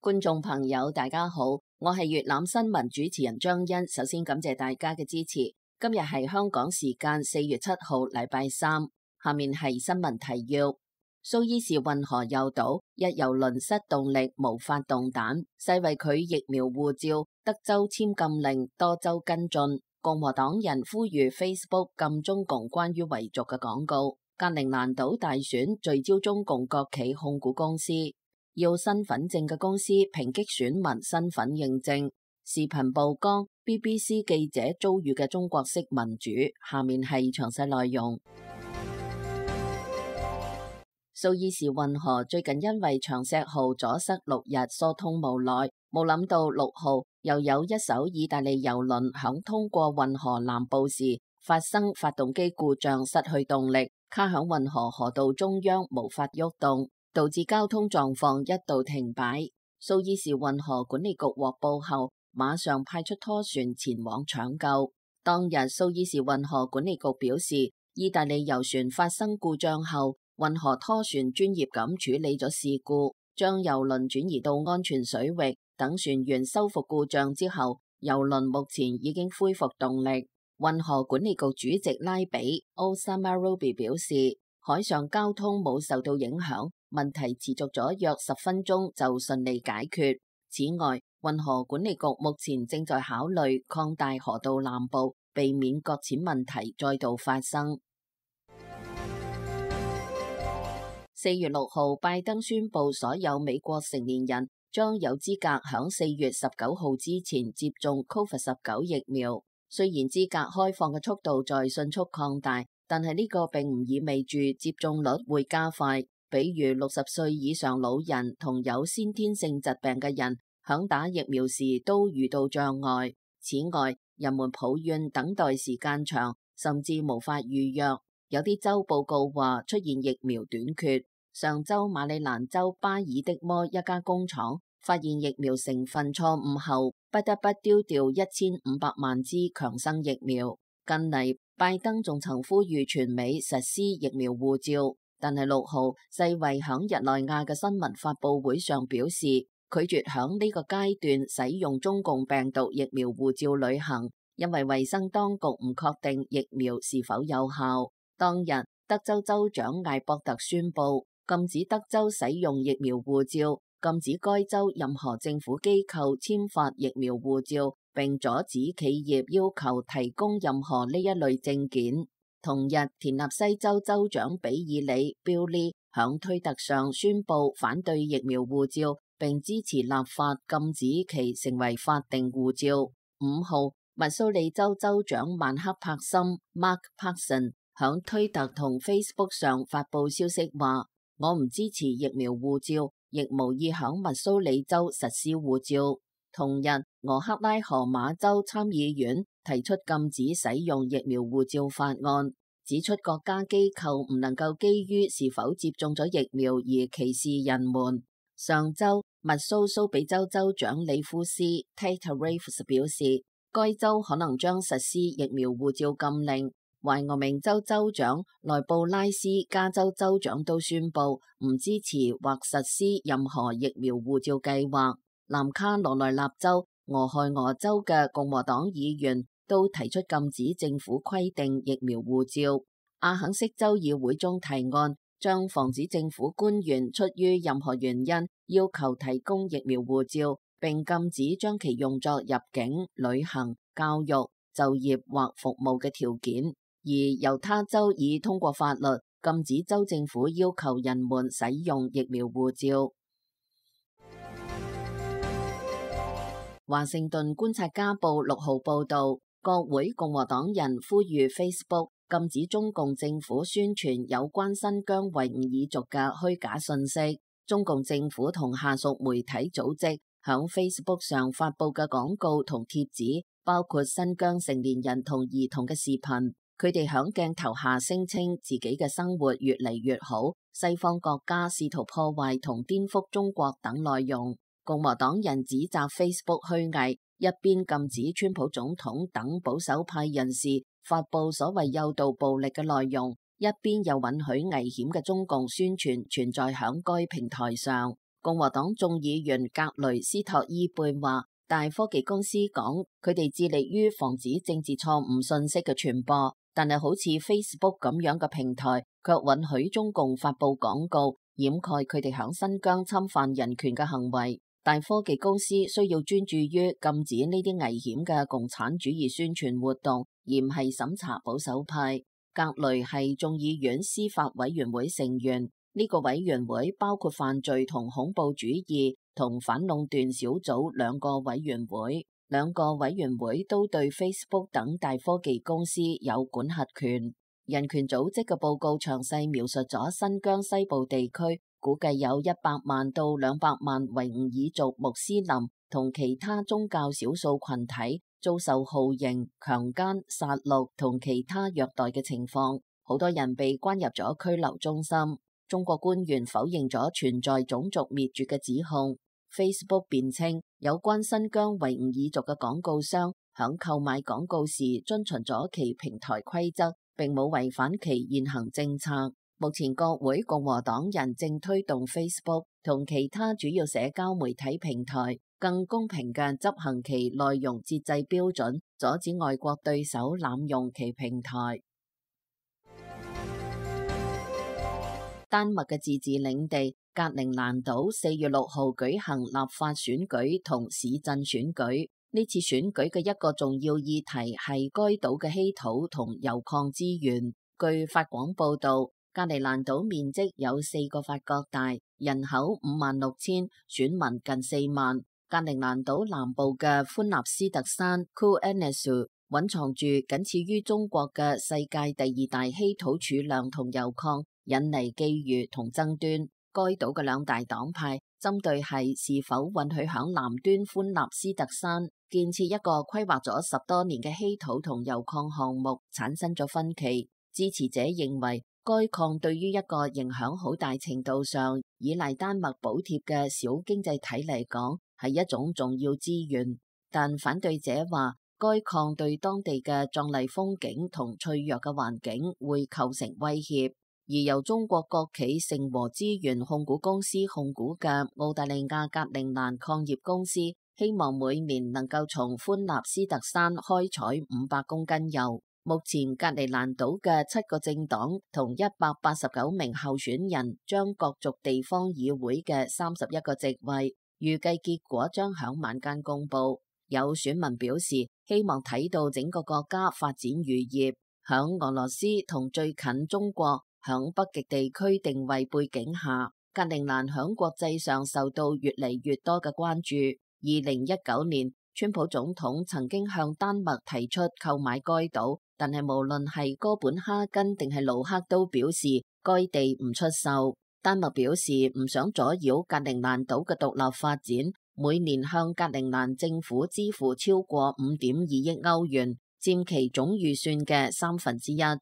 觀眾朋友大家好，我係粵覽新聞主持人張欣，首先感謝大家嘅支持。今日係香港時間4月7號禮拜三，下面係新聞提要。蘇伊士運河右島一郵輪失動力無法動彈，世衛拒疫苗護照，德州簽禁令，多州跟進。共和黨人呼籲 Facebook 禁中共關於維族嘅廣告。格陵蘭島大選聚焦中共國企控股公司。要身份證嘅公司抨擊選民身份認證，視頻曝光 BBC 記者遭遇嘅中國式民主。下面係詳細內容。蘇伊士運河最近因為長石號阻塞6日疏通無奈，冇諗到6號又有一艘意大利郵輪響通過運河南部時發生發動機故障，失去動力，卡響運河河道中央無法喐動，導致交通狀況一度停擺。蘇伊士運河管理局獲報後，馬上派出拖船前往搶救。當日蘇伊士運河管理局表示，意大利郵船發生故障後，運河拖船專業咁處理咗事故，將郵輪轉移到安全水域。等船員修復故障之後，郵輪目前已經恢復動力。運河管理局主席拉比 Osama Robi 表示，海上交通冇受到影響，問題持續咗約10分鐘就順利解決。此外，運河管理局目前正在考慮擴大河道南部，避免擱淺問題再度發生。4月6號，拜登宣布所有美國成年人將有資格響4月19號之前接種 COVID-19 疫苗。雖然資格開放嘅速度在迅速擴大，但係呢個並唔意味住接種率會加快。比如60歲以上老人同有先天性疾病嘅人，響打疫苗時都遇到障礙。此外，人們抱怨等待時間長，甚至無法預約。有啲州報告話出現疫苗短缺。上周馬里蘭州巴爾的摩一家工廠發現疫苗成分錯誤後，不得不丟掉1500萬支強生疫苗。近嚟，拜登仲曾呼籲全美實施疫苗護照，但係6號世衛響日內瓦嘅新聞發佈會上表示，拒絕響呢個階段使用中共病毒疫苗護照旅行，因為衛生當局唔確定疫苗是否有效。當日，德州州長艾博特宣布禁止德州使用疫苗護照，禁止該州任何政府機構簽發疫苗護照，並阻止企業要求提供任何呢一類證件。同日，田納西州州長比爾里 Billy 響推特上宣布反對疫苗護照，並支持立法禁止其成為法定護照。5號，密蘇里州州長曼克柏森 Mark Parson 響推特同 Facebook 上發佈消息話，我唔支持疫苗護照，亦無意響密蘇里州實施護照。同日，俄克拉荷馬州參議院提出禁止使用疫苗護照法案，指出國家機構唔能夠基於是否接種咗疫苗而歧視人們。上周，密蘇比州州長里夫斯 Tate Reeves 表示，該州可能將實施疫苗護照禁令。懷俄明州州長萊布拉斯加州州長都宣布唔支持或實施任何疫苗護照計劃。南卡羅來納州、俄亥俄州嘅共和黨議員都提出禁止政府規定疫苗護照。阿肯色州議會中提案，將防止政府官員出於任何原因要求提供疫苗護照，並禁止將其用作入境、旅行、教育、就業或服務嘅條件。而猶他州已通過法律，禁止州政府要求人們使用疫苗護照。華盛頓觀察家報6號報道，國會共和黨人呼籲 Facebook 禁止中共政府宣傳有關新疆維吾爾族嘅虛假信息。中共政府同下屬媒體組織響 Facebook 上發佈嘅廣告同貼紙，包括新疆成年人同兒童嘅視頻。佢哋響鏡頭下聲稱自己嘅生活越嚟越好，西方國家試圖破壞同顛覆中國等內容。共和黨人指責 Facebook 虛偽，一邊禁止川普總統等保守派人士發佈所謂誘導暴力嘅內容，一邊又允許危險嘅中共宣傳存在響該平台上。共和黨眾議員格雷斯托伊貝話，大科技公司講佢哋致力於防止政治錯誤信息嘅傳播，但係好似 Facebook 咁樣嘅平台，卻允許中共發佈廣告，掩蓋佢哋響新疆侵犯人權嘅行為。大科技公司需要專注於禁止呢啲危險嘅共產主義宣傳活動，而唔係審查保守派。格雷係眾議院司法委員會成員，呢個委員會包括犯罪同恐怖主義同反壟斷小組兩個委員會，兩個委員會都對 Facebook 等大科技公司有管轄權。人權組織嘅報告詳細描述咗新疆西部地區，估計有100萬到200萬維吾爾族穆斯林同其他宗教少數群體遭受酷刑、強姦、殺戮同其他虐待嘅情況，好多人被關入咗拘留中心。中國官員否認咗存在種族滅絕嘅指控。Facebook 辯稱有關新疆維吾爾族嘅廣告商響購買廣告時遵循咗其平台規則，並冇違反其現行政策。目前國會共和黨人正推動 Facebook 同其他主要社交媒體平台更公平嘅執行其內容節制標準，阻止外國對手濫用其平台。丹麥嘅自治領地格陵蘭島4月6號舉行立法選舉同市鎮選舉。呢次選舉嘅一個重要議題係該島嘅稀土同鈾礦資源。據法廣報道，格陵蘭島面積有4個法國大，人口56000，選民近4萬。格陵蘭島南部嘅寬納斯特山 Kuurnessu 蘊藏住僅次於中國嘅世界第2大稀土儲量同鈾礦，引嚟覬覦同爭端。該島嘅兩大黨派針對係是否允許響南端寬納斯特山建設一個規劃咗10多年嘅稀土同鈾礦項目產生咗分歧。支持者認為該礦對於一個影響好大程度上依賴丹麥補貼嘅小經濟體嚟講係一種重要資源，但反對者話該礦對當地嘅壯麗風景同脆弱嘅環境會構成威脅。而由中國國企盛和資源控股公司控股嘅澳大利亞格陵蘭礦業公司，希望每年能夠從寬納斯特山開採500公斤鈾。目前格陵蘭島嘅7個政黨同189名候選人將角逐地方議會嘅31個席位，預計結果將響晚間公布。有選民表示希望睇到整個國家發展漁業。響俄羅斯同最近中國響北極地區定位背景下，格陵蘭響國際上受到越嚟越多嘅關注。2019年，川普總統曾經向丹麥提出購買該島，但係無論係哥本哈根定係盧克都表示該地唔出售。丹麥表示唔想阻擾格陵蘭島嘅獨立發展，每年向格陵蘭政府支付超過5.2億歐元，佔其總預算嘅1/3。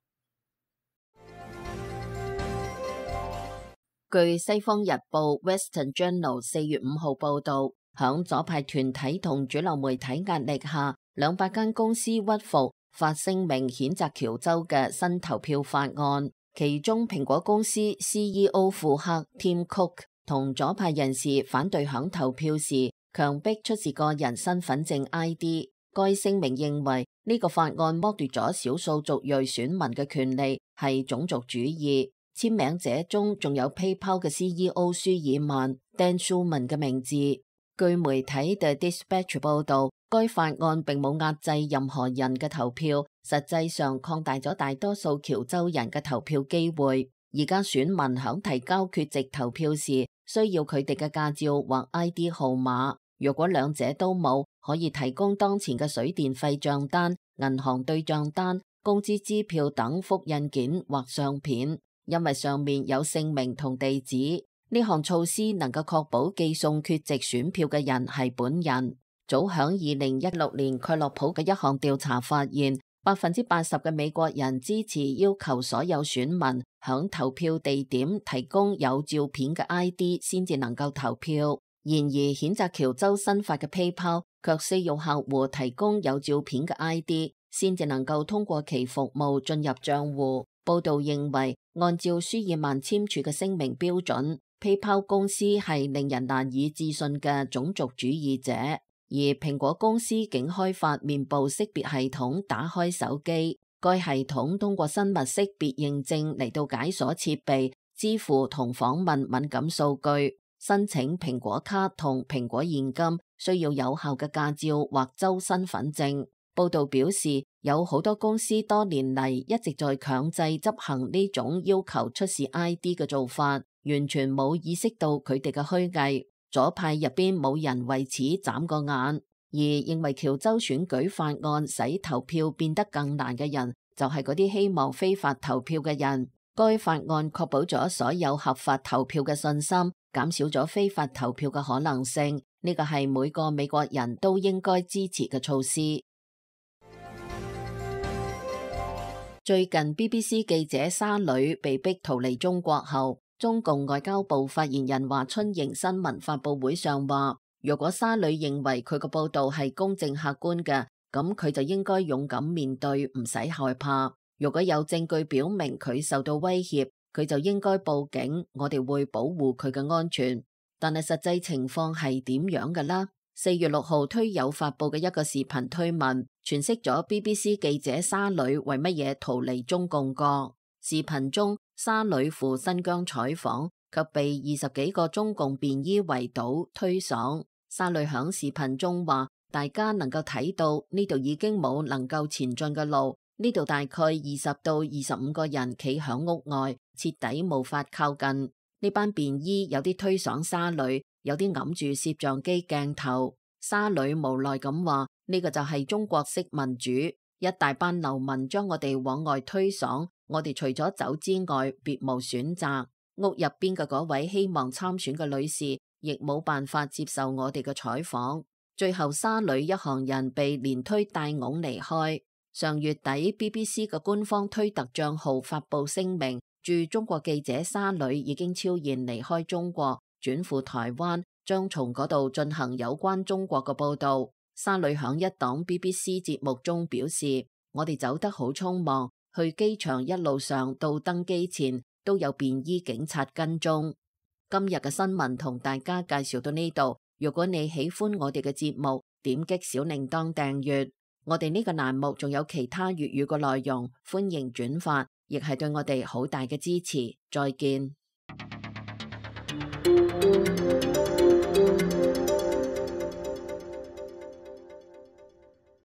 據西方日報 Western Journal 4月5號報道，響左派團體同主流媒體壓力下，200間公司屈服，發聲明譴責喬州嘅新投票法案。其中蘋果公司 CEO 庫克 Tim Cook 同左派人士反對響投票時強迫出示個人身份證 ID。該聲明認為呢個法案剝奪咗少數族裔選民嘅權利，係種族主義。簽名者中仲有 PayPal 嘅 CEO 舒爾曼 Dan Schulman 嘅名字。據媒體 The Dispatch 報道，該法案並冇壓制任何人嘅投票，實際上擴大咗大多數喬州人嘅投票機會。而家選民響提交缺席投票時，需要佢哋嘅駕照或 ID 號碼。如果兩者都冇，可以提供當前嘅水電費賬單、銀行對賬單、工資支票等複印件或相片。因為上面有姓名同地址，呢項措施能夠確保寄送缺席選票嘅人係本人。早響2016年，蓋洛普嘅一項調查發現，80%嘅美國人支持要求所有選民響投票地點提供有照片嘅 ID 先至能夠投票。然而，譴責喬州新法嘅 PayPal 卻需要客戶提供有照片嘅 ID 先至能夠通過其服務進入賬戶。報道認為，按照舒爾曼簽署嘅聲明標準， PayPal 公司係令人難以置信嘅種族主義者，而蘋果公司竟開發面部識別系統打開手機。該系統通過生物識別認證嚟到解鎖設備、支付同訪問敏感數據。申請蘋果卡同蘋果現金需要有效嘅駕照或州身份證。報道表示，有好多公司多年嚟一直在強制執行呢種要求出示 ID 嘅做法，完全冇意識到佢哋嘅虛偽。左派入邊冇人為此眨個眼，而認為喬州選舉法案使投票變得更難嘅人，就係嗰啲希望非法投票嘅人。該法案確保咗所有合法投票嘅信心，減少咗非法投票嘅可能性。呢個係每個美國人都應該支持嘅措施。最近 BBC 記者沙磊被逼逃離中國後，中共外交部發言人華春瑩新聞發佈會上話，如果沙磊認為佢個報道係公正客觀嘅，咁佢就應該勇敢面對，唔使害怕。如果有證據表明佢受到威脅，佢就應該報警，我哋會保護佢嘅安全。但係實際情況係點樣嘅啦？4月6號推友發佈嘅一個視頻推文，詮釋咗 BBC 記者沙磊為乜嘢逃離中共國。視頻中，沙磊赴新疆採訪及被20幾個中共便衣圍堵推搡。沙磊響視頻中話，大家能夠睇到呢度已經冇能夠前進嘅路，呢度大概20到25個人企響屋外，徹底無法靠近。呢班便衣有啲推搡沙磊，有啲揞住攝像機鏡頭。沙磊無奈咁話，呢個就係中國式民主，一大班流民將我哋往外推搡，我哋除咗走之外別無選擇。屋入邊嘅嗰位希望參選嘅女士亦冇辦法接受我哋嘅採訪。最後沙磊一行人被連推帶拱離開。上月底 BBC 嘅官方推特賬號發佈聲明，駐中國記者沙磊已經悄然離開中國，轉赴台灣，將從嗰度進行有關中國嘅報道。沙磊響一檔 BBC 節目中表示，我哋走得好匆忙，去機場一路上到登機前都有便衣警察跟蹤。今日嘅新聞同大家介紹到呢度，如果你喜歡我哋嘅節目，點擊小鈴鐺訂閱。我哋呢個欄目仲有其他粵語嘅內容，歡迎轉發，亦係對我哋好大嘅支持。再見。